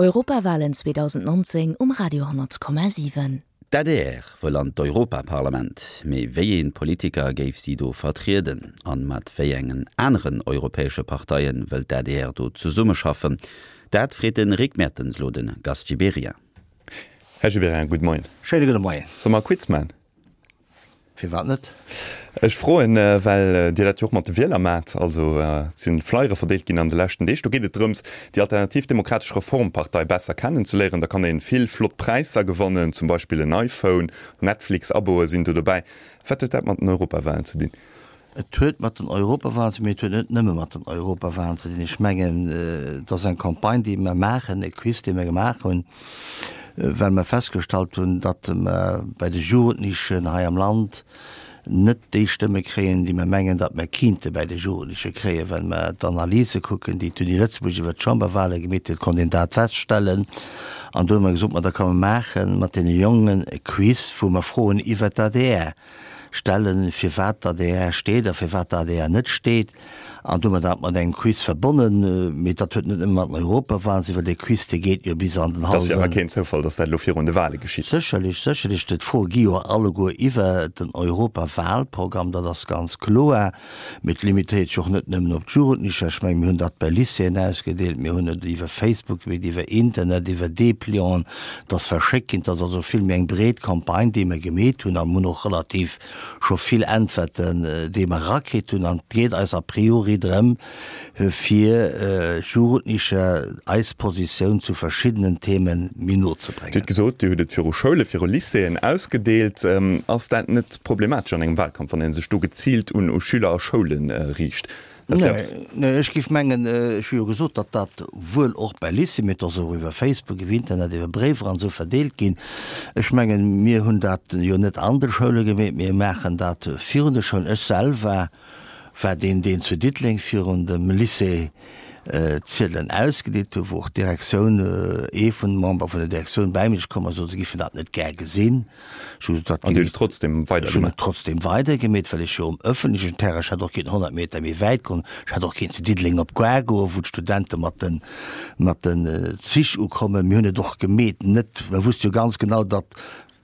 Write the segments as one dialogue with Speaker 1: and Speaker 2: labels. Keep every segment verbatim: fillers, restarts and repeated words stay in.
Speaker 1: Europawalen zweedausendnonzéng um Radio honnert Komma siwen.
Speaker 2: D'A D R wëll an d'Europaparlament, mee wéi ee Politiker géif si do vertrieden? An mat wéi engen aneren europäesche Parteien wëll d'A D R do zesummeschaffen? Dat freet de Rick Mertens lo de Gast Gibéryen.
Speaker 3: Här Gibéryen, gudde Moien.
Speaker 4: Schéine gudde Moien.
Speaker 3: Solle mer e Quiz man?
Speaker 4: Firwat net?
Speaker 3: Ech froen, well Dir dat jo och mat de Wieler maacht. Also et si Flyere verdeelt ginn an de leschten Deeg. Do geet et drëms, déi Alternativ Demokratesch Reformpartei besser kennenzeléieren. Da kann ee vill flott Präisser gewannen, zum Beispill en iPhone, Netflix-Aboe sinn do dobäi. Wat huet dat mat den Europawalen ze dinn?
Speaker 4: Et huet mat den Europawalen ze dinn, mee et huet net nëmme mat den Europawalen ze dinn. Ech mengen, et ass eng Campagne, déi mer maachen, e Quiz, dee mer gemaach hunn, well mer festgestallt hunn, datt mer bei de Jugendlichen hei am Land net déi Stëmme kréien, déi mer mengen, datt mer kinnte bei de Jugendliche kréien. Well mer d'Analyse kucken, déi d'Uni Lëtzebuerg iwwert d'Chamberwale gemeet huet, konnt een dat feststellen. An do hu mer gesot, ma da ka mer maache mat deene Jongen e Quiz, wou mer Froen iwwert d'A D R stellen, firwat d'A D R steet a firwat d'A D R net steet. An du hu mer dat mat engem Quiz verbonnen, mee dat huet net nëmme mat den Europawahlen ze, well dee Quiz, dee geet jo bis an den
Speaker 3: Et ass jo awer
Speaker 4: hallwen.
Speaker 3: keen Zoufall, datt dat elo virun de Wahle geschitt.
Speaker 4: Sécherlech, sécherlech. D'Froe gi jo alleguer iwwer den Europawahlprogramm, dat ass ganz kloer. Mee et limitéiert sech och net nëmmen op d'Jugendlecher. Ech mengen, mir hunn dat bei Lycéeën ausgedeelt, mir hunn et iwwer Facebook gemeet, iwwer Internet, iwwer Deplianten, et ass verschéckt ginn. Et ass also vill méi eng breet Campagne, déi mer gemeet hunn, a mir hunn och relativ scho vill Äntwerten, déi mer erakritt hunn. An et geet eis a priori drëm, fir Jugendlecher eis Positioun zu verschiddenen Themen méi no ze
Speaker 3: Dir hutt
Speaker 4: bréngen.
Speaker 3: gesot, Dir hutt et viru Schoule, viru Lycéeën ausgedeelt. Ass dat net problematesch an engem Wahlkampf, wann ee sech do geziilt un Schüler a Schoule riicht?
Speaker 4: Nee, ech géif mengen, ech hu jo gesot, datt dat wuel och bei Lycée, mee et ass och iwwer Facebook, iwwer Internet, iwwer Bréiwer an esou verdeelt ginn. Ech mengen, mir hunn dat jo net an de Schoule gemeet, mir maachen dat virun de Schoulen. Ech selwer war deen, deen zu Diddeleng virun dem Lycée d'Ziedelen ausgedeelt huet, wou och d'Direktioun, ee vun de Member vun der Direktioun bäi mech komm ass, sot, se géifen dat net gär gesinn. Ech hu gesot, dat
Speaker 3: An Dir
Speaker 4: géif
Speaker 3: hutt et trotzdem
Speaker 4: Ech hunn et
Speaker 3: weidergemaach?
Speaker 4: trotzdem weidergemeet, well ech jo um ëffentlechen Terrain, ech hätt och kéinten honnert Meter méi wäit goen, ech hätt och kéinten zu Diddeleng op d'Gare goen, wou d'Studente mat den, mat den Zich ukommen. Mir hunn et och gemeet, net, mer wusste jo ganz genau, datt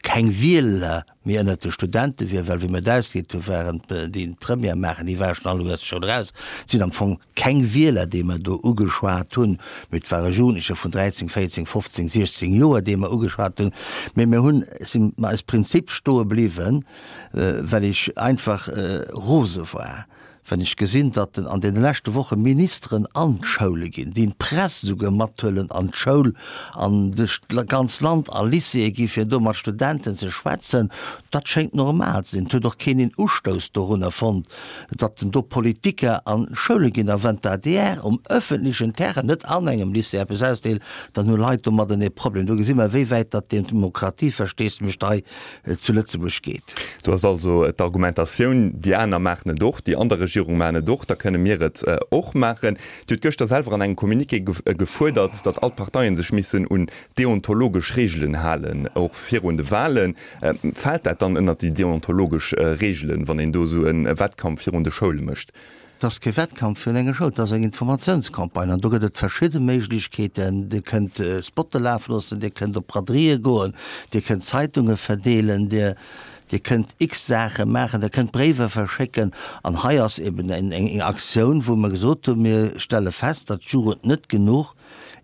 Speaker 4: keng Wieler méi ënnert de Studente wier, well wéi mir et ausgedeelt hu waren déi d'Première maachen, déi ware schonn alleguer aus der Schoul eraus. Et sinn am Fong keng Wieler, déi mer do ugeschwat hunn, mee et ware Jugendlecher vun dräizéng, véierzéng, fofzéng, siechzéng Joer, déi mer ugeschwat hunn. Mee mir hunn, si mer eis Prinzip stoe bliwwen, well ech einfach rose war, Wann ech gesinn, datt an deene leschte Woche Ministeren an d'Schoule ginn, déi d'Press esouguer mathuelen an d'Schoul an duerch d'ganz Land a Lycéeë gi fir do mat Studenten ze schwätzen, dat schéngt normal ze sinn. Et huet och keen een Ustouss dorunner fonnt, datt do Politiker an d'Schoule ginn. A wann d'A D R um ëffentlechen Terrain, net an engem Lycée, eppes ausdeelt, dann hu Leit domadden ee Problem. Do gesi mer, wéi wäit datt d'Demokratieversteesdemech hei zu Lëtzebuerg geet.
Speaker 3: Do ass also d'Argumentatioun, déi aner maachen et och, déi aner Regierung maachen et och, da kënne mir et och maachen. Dir hutt gëschter selwer an engem Communiqué gefuerdert, datt all d'Parteien sech missen un deontologesch Reegelen halen, och virun de Wahlen. Fält dat dann ënnert déi deontologesch Reegelen, wann een do esou e Wettkampf virun de Schoule mécht?
Speaker 4: Et ass kee Wettkampf virun enger Schoul, et ass eng Informatiounscampagne an do gëtt et verschidde Méiglechkeeten. Dir kënnt Spotte lafe loossen, Dir kënnt op Braderieë goen, Dir kënnt Zeitunge verdeelen, Dir Dir kënnt x Saache maachen, Dir kënnt Bréiwer verschécken. An hei ass eben eng Aktioun, wou mer gesot hunn, mir stelle fest, datt d'Jugend net genuch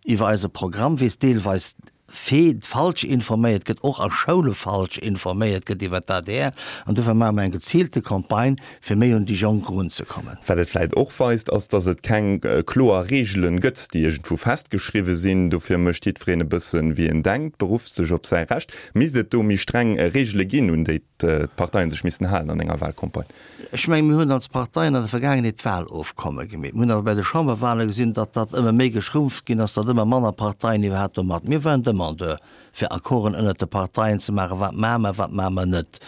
Speaker 4: iwwer eise Programm weess, deelweis falsch informéiert gëtt, och a Schoule falsch informéiert gëtt iwwer d'A D R. An dofir maache mer eng geziilte Campagne, fir méi un déi Jonk erunzekommen.
Speaker 3: Wat et vläit och weist, ass, datt et keng kloer Reegelen gëtt, déi iergendwou festgeschriwwe sinn. Dofir mécht jiddwereen e bëssen, wéi en denkt, berufft sech op säi Recht. Misst et do méi streng Reegele ginn, un déi d'Parteien sech missten halen an enger Wahlcampagne?
Speaker 4: Ech mengen, mir hunn als Parteien an der Vergaangenheet Wahlofkomme gemeet. Mir hunn awer bei de Chamberwahle gesinn, datt dat ëmmer méi geschrumpft ginn ass, datt ëmmer manner Parteien iwwerhaapt do mat. Mir waren Demandeur, fir Accorden ënnert de Parteien ze maachen, wat maache mer, wat maache mer net.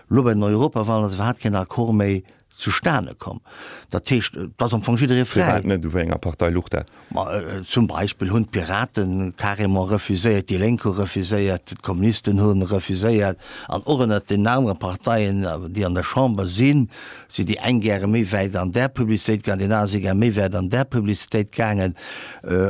Speaker 4: Elo bei den Europawahlen ass iwwerhaapt keen Accord méi zustane komm. Dat heescht, et ass am Fong jidderee fräi.
Speaker 3: Firwat net? U wéi enger Partei luch dat?
Speaker 4: Ma zum Beispill hunn d'Piraten carrément refuséiert, déi Lénk hu refuséiert, d'Kommunisten hu refuséiert an och ënnert den anere Parteien, déi an der Chamber sinn, sinn déi eng gäre méi wäit an där Publicitéit gaangen, déi aner si gär méi wäit an där Publicitéit gaangen.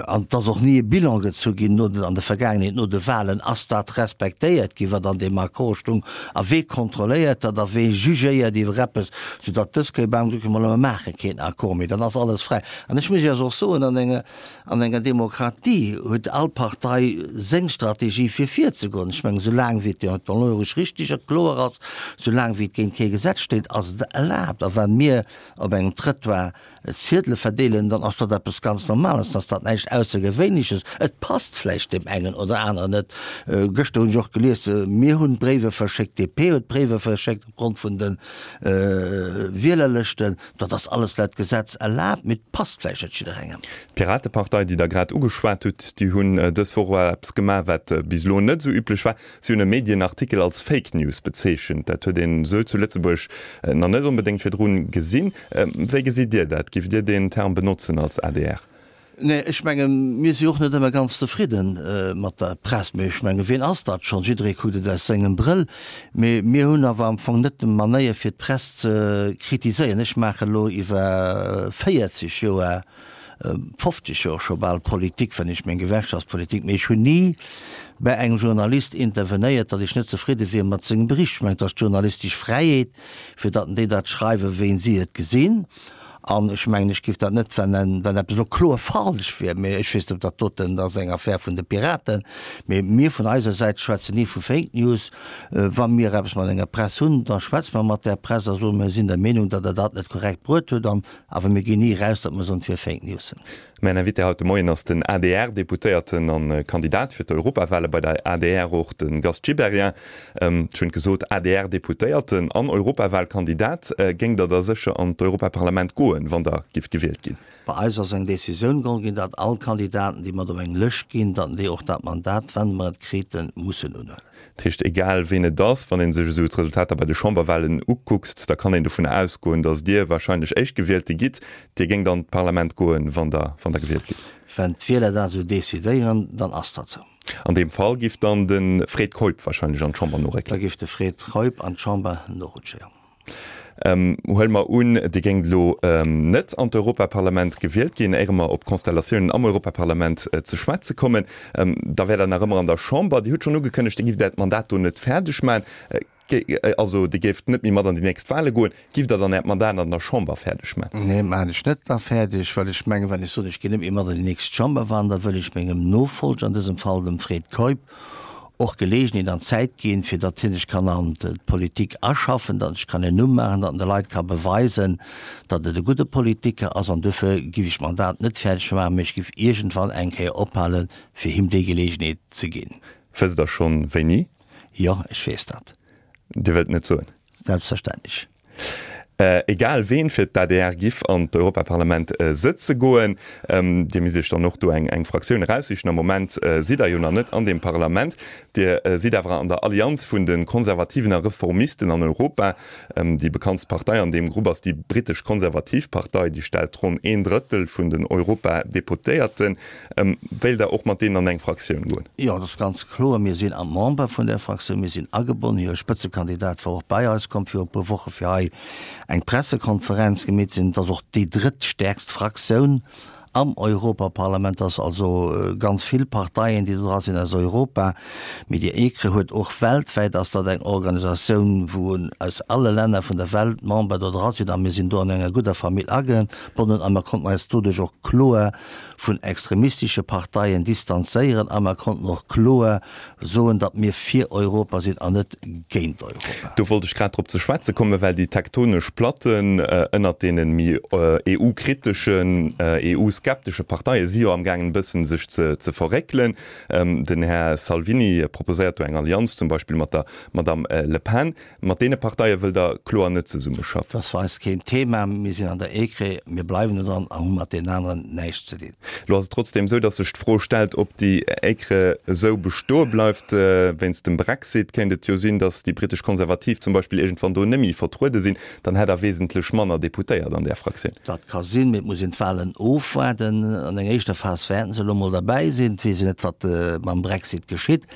Speaker 4: An et ass och ni e Bilan gezu ginn no den, an der Vergaangenheet no de Wahlen, ass dat respektéiert ginn, wat an deem Accord stung a wee kontrolléiert dat a wee jugéiert iwwer eppes, soudatt dës Kéier bam Glück emol, mer maache keen Accord méi, dann ass alles fräi. An ech muss Iech och soen, an enger, an enger Demokratie huet all Partei seng Strategie fir virzegoen. Ech mengen, soulaang wéi et deontologesch richtig a kloer ass, soulaang wéi et géint kee Gesetz steet, ass et erlaabt. A wa mir op engem Trëttoir Ziedele verdeelen, dann ass dat eppes ganz Normales, dann ass dat näischt Aussergewéinleches. Et passt vläicht deem engen oder aneren net. Gëschter hunn ech och gelies, mir hunn Bréiwer verschéckt, d'DP huet Bréiwer verschéckt opgrond vun de Wielerlëschten. Dat ass alles laut Gesetz erlaabt, mee et passt vläicht net jidderengem.
Speaker 3: D'Piratepartei, déi Der grad ugeschwat hutt, déi hunn dës Woch och eppes gemaach, wat bis elo net esou üblech war. Si hunn e Medienartikel als Fake News bezeechent. Dat huet een esou zu Lëtzebuerg nach net onbedéngt virdrun gesinn. Wéi gesitt Dir dat? Giff Dir deen Term benotzen als adr?
Speaker 4: Nee, ech mengen, mir si och net ëmmer ganz zefridde mat der Press. Mee ech mengen, wien ass dat schonn? Jidderee kuckt et aus sengem Brëll. Mee mir hunn awer am Fong net d'Manéier, fir d'Press ze kritiséieren. Ech maache elo iwwer véierzeg Joer, fofzeg Joer scho bal Politik, wann ech meng Gewerkschaftspolitik, mee ech hunn ni bei engem Journalist intervenéiert, datt ech net zefridde wier mat sengem Bericht. Ech mengen, et ass d'journalistesch Fräiheet, fir datt déi dat schreiwen, wéi si et gesinn. An ech mengen, ech géif dat net, wann wann eppes elo kloer falsch wier, mee ech weess net, ob dat doten, dat ass eng Affär vun de Piraten, mee mir vun eiser Säit schwätzen ni vu Fake News. Wa mir eppes mat enger Press hunn, da schwätze mer mat där Press a soen, mir sinn der Meenung, datt Der dat net korrekt bruet hutt. An awer mir ginn ni eraus, datt mer soen, et wier Fake News.
Speaker 3: Mäin Invité haut de Moien ass den A D R-Deputéierten an Kandidat fir d'Europawale bei der A D R, och de Gast Gibéryen. Ech hunn et gesot, A D R-Deputéierten an Europawalkandidat. Géingt Der da sécher an d'Europaparlament goen, wann Der gifft gewielt ginn?
Speaker 4: Bei eis ass eng Decisioun geholl ginn, datt all Kandidaten, déi mat op eng Lëscht ginn, datt déi och dat Mandat, wann mer et kriten, mussen unhuelen.
Speaker 3: Dat heescht, egal ween et ass, wann ee sech esou d'Resultater bei de Chamberwahlen ukuckt, da kann een dovunner ausgoen, datt Dir wahrscheinlech Éischtgewielte gitt. Dir géingt an d'Parlament goen, wann Der, wann Der gewielt gitt?
Speaker 4: Wann d'Wieler dat esou decidéieren, dann ass dat esou.
Speaker 3: An deem Fall giff dann de Fred Keup wahrscheinlech an d'Chamber
Speaker 4: noréckelen? Da giff de Fred Keup an d'Chamber norutschen, jo.
Speaker 3: Huele mer un, Dir géingt elo net an d'Europaparlament gewielt ginn, éiere mer op d'Konstellatiounen am Europaparlament ze schwätze kommen, da wäert Der nach ëmmer an der Chamber. Dir hutt schonn ugekënnegt, Dir gifft Äert Mandat do net fäerdeg maachen, also Dir géift net méi mat an déi nächst Wahle goen. Gifft Der dann Äert Mandat an der Chamber fäerdeg maachen?
Speaker 4: Nee, maachen ech net da fäerdeg, well ech mengen, wann ech soen, ech ginn net méi mat an déi nächst Chamberwahlen, da wëll ech mengem Nofolger, an dësem Fall dem Fred Keup, och Geleegenheet an Zäit ginn, fir datt hien sech kann an d'Politik aschaffen, datt en sech kann en Numm maachen, datt en de Leit ka beweisen, datt et e gudde Politiker ass. An duerfir giff ech d'Mandat net fäerdeg maachen, mee ech giff iergendwann eng Kéier ophalen, fir him déi Geleegenheet ze ginn.
Speaker 3: Wësst Der schonn, wéini?
Speaker 4: Jo, ech weess dat.
Speaker 3: Dir wëllt net soen?
Speaker 4: Selbstverständlech.
Speaker 3: Egal ween fir d'A D R giff an d'Europaparlament sëtze goen, Dir misst Iech dann och do eng Fraktioun eraussichen. Am Moment sidd Der jo nach net an deem Parlament. Dir sidd awer an der Allianz vun de Konservativen a Reformisten an Europa. Déi bekanntst Partei an deem Grupp ass déi brittesch Konservativ Partei, déi stellt ronn een Drëttel vun den Europadeputéierten. Wéilt Der och mat deenen an eng Fraktioun goen?
Speaker 4: Jo, dat ass ganz kloer. Mir sinn am Member vun där Fraktioun, mir sinn agebonnen. Hire Spëtzekandidat war och bei eis komm viru e puer Woche fir hei eng Pressekonferenz gemeet ze hunn. Et ass och déi drëttstäerkst Fraktioun am Europaparlament. Et ass also ganz vill Parteien, déi do dra sinn aus Europa. Mee déi EKRE huet och weltwäit ass dat eng Organisatioun, wou aus alle Länner vun der Welt Member do dra sinn. A mir sinn do an enger gudder Famill agebonnen a mer konnten eis doduerch och kloer vun extremistesche Parteien distanzéieren a mer konnten och kloer soen, datt mir fir Europa sinn an net géint Europa.
Speaker 3: Do wollt ech grad drop ze schwätze kommen, well déi tektonesch Platten ënnert deene méi E U-kriteschen, E U-skepteschen, euroskeptesche Parteie si jo amgaangen e bëssen sech ze ze verréckelen. Den Här Salvini proposéiert do eng Allianz zum Beispill mat der Madame Le Pen. Mat deene Parteie wëllt Der kloer net zesummeschaffen?
Speaker 4: Dat ass fir eis keen Thema. Mir sinn an der EKRE, mir bleiwen do dran a hu mat deenen aneren näischt ze dinn.
Speaker 3: Elo ass et trotzdeem esou, datt sech d'Fro stellt, ob déi EKRE esou bestoe bleift. Wéinst dem Brexit kéint et jo sinn, datt déi britesch Konservativ zum Beispill iergendwann do net méi vertruede sinn. Dann hätt Der wesentlech manner Deputéiert an där Fraktioun.
Speaker 4: Dat ka sinn, mee et muss een d'Wahlen ofwaarden. An enger éischter Phas wäerten se elo mol derbäi sinn. Et weess een net, wat mam Brexit geschitt.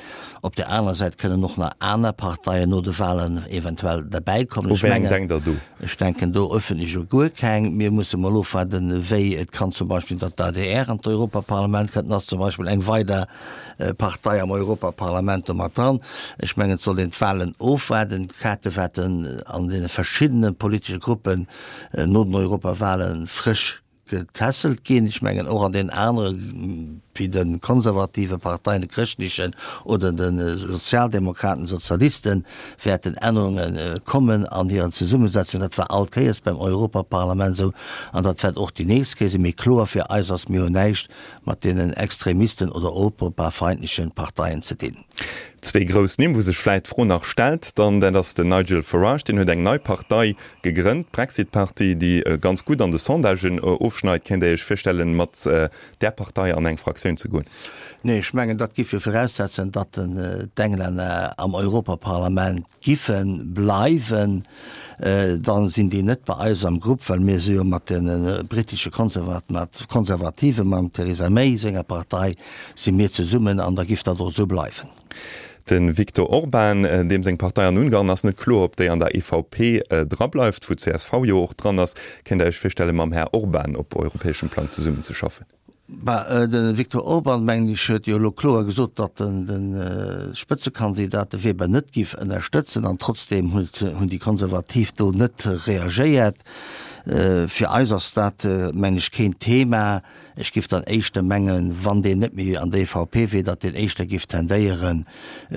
Speaker 4: Op där anerer Säit kënnen och nach aner Parteien no de Wahlen eventuell derbäikommen.
Speaker 3: U wéi eng denkt Der do?
Speaker 4: Ech denken do öffentlech u guer keng. Mir musse mol ofwaarden, wéi et kann zum Beispill, datt d'ADR an d'Europaparlament kënnt. Dann ass zum Beispill eng weider Partei am Europaparlament do mat dran. Ech mengen, et sollt een d'Wahlen ofwaarden. D'Kaarte wäerten an deene verschiddene politesche Gruppen no den Europawahlen frësch getässelt ginn. Ech mengen och an deenen anere wéi de konservative Parteien, de chrëschtlechen oder de Sozialdemokraten, Sozialisten, wäerten Ännerunge kommen an hiren Zesummesetzung. Dat war all Kéiers beim Europaparlament esou an dat wäert och déi nächst Kéier sinn. Mee kloer fir eis ass, mir hunn näischt mat deenen extremisten oder europafeindleche Parteien ze dinn.
Speaker 3: Zwee grouss Nimm, wou sech vläit d'Fro nach stellt dann, dat ass den Nigel Farage, deen huet eng nei Partei gegrënnt, d'Brexit Party, déi ganz gutt an de Sondagen ofschneit. Kéint Der Iech virstellen, mat där Partei an eng Fraktioun ze goen?
Speaker 4: Nee, ech mengen, dat giff jo viraussetzen, datt d'Englänner am Europaparlament giffe bleiwen. Dann sinn déi net bei eis am Grupp, well mir si jo mat de britesche Konservativen, mam Theresa May senger Partei, si mir zesummen an da giff dat och esou bleiwen.
Speaker 3: De Viktor Orban, deem seng Partei an Ungarn ass net kloer, ob déi an der E V P drableift, wou d'C S V jo och dran ass. Kéint Der Iech virstellen, mam Här Orban op europäeschem Plang zesummenzeschaffen?
Speaker 4: Bah, de Viktor Orban, mengen ech, huet jo elo kloer gesot, datt en de Spëtzekandidat, de Weber, net giff ënnerstëtzen. An trotzdeem hunn déi Konservativ do net reagéiert. Fir eis ass dat, mengen ech, keen Thema. Ech giff dann éischter mengen, wann deen net méi an der E V P wier, datt deen éischter giff tendéieren,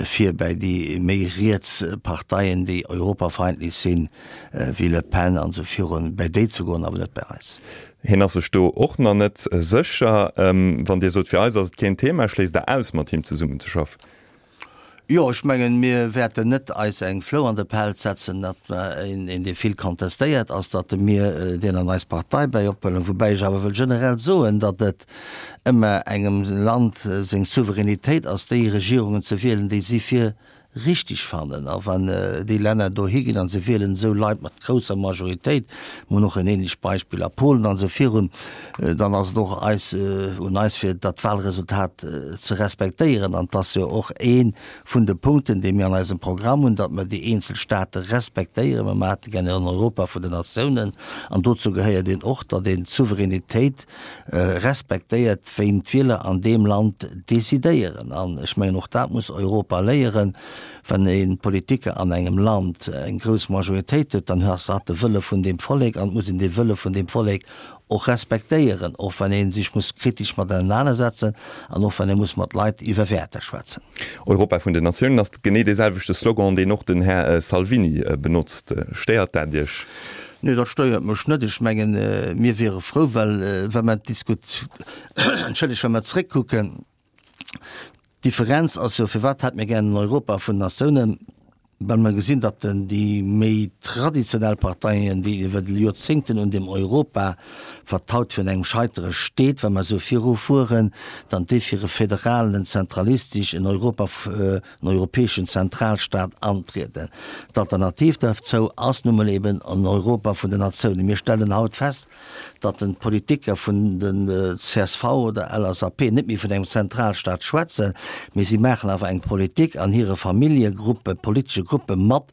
Speaker 4: fir bäi déi méi riets Parteien, déi europafeindlech sinn, wéi Le Pen an esou virun, bäi déi ze goen, awer net bäi eis.
Speaker 3: Hien ass sech do och nach net sécher. Wann Dir sot, fir eis ass et keen Thema, schléisst Der aus, mat him zesummenzeschaffen?
Speaker 4: Jo, ech mengen, mir wäerten net eis eng Flou an de Pelz setzen, datt mer een, dee vill kontestéiert ass, datt mir deen an eis Partei bäi ophuelen. Woubäi ech awer wëll generell soen, datt et ëmmer engem Land seng Souveränitéit ass, déi Regierungen ze wielen, déi si fir richtig fannen. A wann déi Länner dohi ginn a se wielen esou Leit mat grousser Majoritéit, mir hunn och en ähnlecht Beispill a Polen an esou virun, dann ass et och eis, un eis fir dat Wahlresultat ze respektéieren. An et ass jo och ee vun de Punkten, déi mir an eisem Programm hunn, datt mer déi eenzel State respektéieren. Mer maache gär en Europa vun den Natiounen an dozou gehéiert een och, datt een d'Souveränitéit respektéiert, wéi d'Wieler an deem Land decidéieren. An ech mengen, och dat muss Europa léieren, Wann ee Politiker an engem Land eng grouss Majoritéit huet, dann ass dat de Wëlle vun deem Vollek an et muss een dee Wëlle vun deem Vollek och respektéieren, och wann ee sech muss kritesch mat ausenanersetzen an och wann ee muss mat Leit iwwer Wäerter schwätzen.
Speaker 3: Europa vun den Natiounen ass genee dee selwechte Slogan, deen och den Här Salvini benotzt. Stéiert dat Iech?
Speaker 4: Nee, dat stéiert mech net. Ech mengen, mir wiere frou, well wa mer d'Diskut, entschëllegt, wa mer zréckkucken, D'Differenz ass jo, firwat hätt mir gär en Europa vun Natiounen? Well mer gesinn, datt déi méi traditionell Parteien, déi iwwer Joerzéngten un deem Europa, wat haut virun engem Scheitere steet, wa mer esou virufueren, dann déi fir e federalen, en zentralistesch, en Europa, en europäeschen Zentralstaat antrieden. D'Alternativ derzou ass nu mol eben en Europa vun den Natiounen. Mir stellen haut fest, datt den d'Politiker vun den C S V oder L S A P net méi vun engem Zentralstaat schwätzen, mee si maachen awer eng Politik an hire Familljegruppe, politesche Gruppe mat,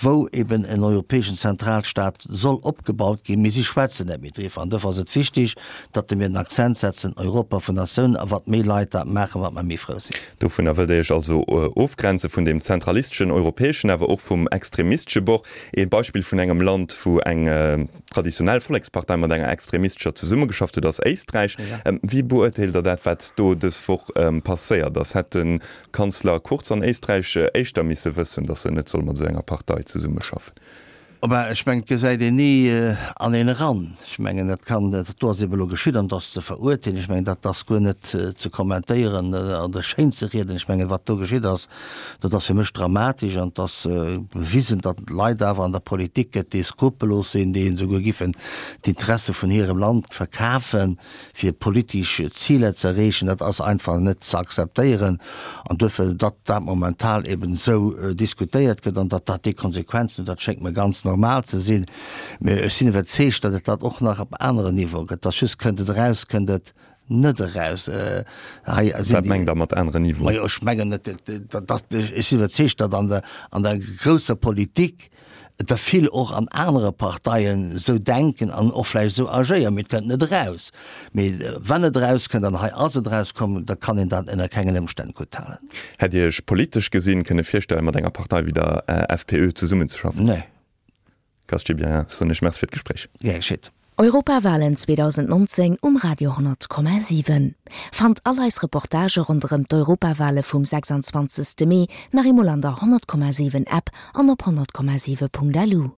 Speaker 4: wou eben en europäeschen Zentralstaat soll opgebaut ginn, mee si schwätzen net méi driwwer. An dofir ass et wichtig, datt mir den Accent setzen, Europa vun Natiounen, a wat méi Leit dat maachen, wat mer méi frou sinn.
Speaker 3: Dovunner wëllt Der Iech also ofgrenze vun deem zentralisteschen europäeschen, awer och vum extremistesche Bord. Ee Beispill vun engem Land, wou eng traditionell Vollekspartei mat enger extremistescher zesummegeschafft huet, ass Éisträich. Wéi beurteelt Der dat, wat do dës Woch passéiert ass? Hätt de Kanzler Kurz an Éisträich éischter misse wëssen, datt en net soll mat esou enger Partei zesummeschaffen?
Speaker 4: Ben, ech mengen, et gesäit een ni an een eran. Ech mengen, dat kann, dat do ass ebe elo geschitt an dat ass ze verurteelen. Ech mengen, dat ass guer net ze kommentéieren oder schéin ze rieden. Ech mengen, wat do geschitt ass, dat ass fir mech dramatesch an et ass bewisen, datt et Leit awer an der Politik gëtt, déi skrupellos sinn, déi esouguer giffen d'Interesse vun hirem Land verkafen, fir politesch Ziler ze erreechen. Dat ass einfach net ze akzeptéieren an duerfir, datt dat momental eben esou diskutéiert gëtt an datt dat déi Konsequenzen huet, dat schéngt mer ganz normal ze sinn. Mä ech sinn iwwerzeegt, datt et dat och nach op aneren Niveaue gëtt. Dass just kënnt et eraus, kënnt et net eraus. Hei sinn
Speaker 3: Wat mengt Der mat aneren Niveauen?
Speaker 4: Majo, ech mengen, datt, ech sinn iwwerzeegt, datt an der, an der grousser Politik et der vill och an anere Parteien esou denken an och vläicht esou agéieren, mee et kënnt net eraus. Mee wann et erauskënnt, an hei ass et erauskomm, da kann een dat ënner kengen Ëmstänn gutthalen.
Speaker 3: Hätt Dir Iech politesch gesinn kënne virstellen, mat enger Partei wéi der F P Ö zesummenzeschaffen?
Speaker 4: Nee.
Speaker 3: Gast Gibéryen, ech soen Iech Merci fir d'Gespréich.
Speaker 4: Gär geschitt.
Speaker 1: Europawalen zweedausendnonzéng um Radio honnert Komma siwen. Fannt all eis Reportagë ronderëm d'Europawale vum sechsanzwanzegste Mee nach eemol an der honnert Komma siwen App an op honnert Komma siwe Punkt lu.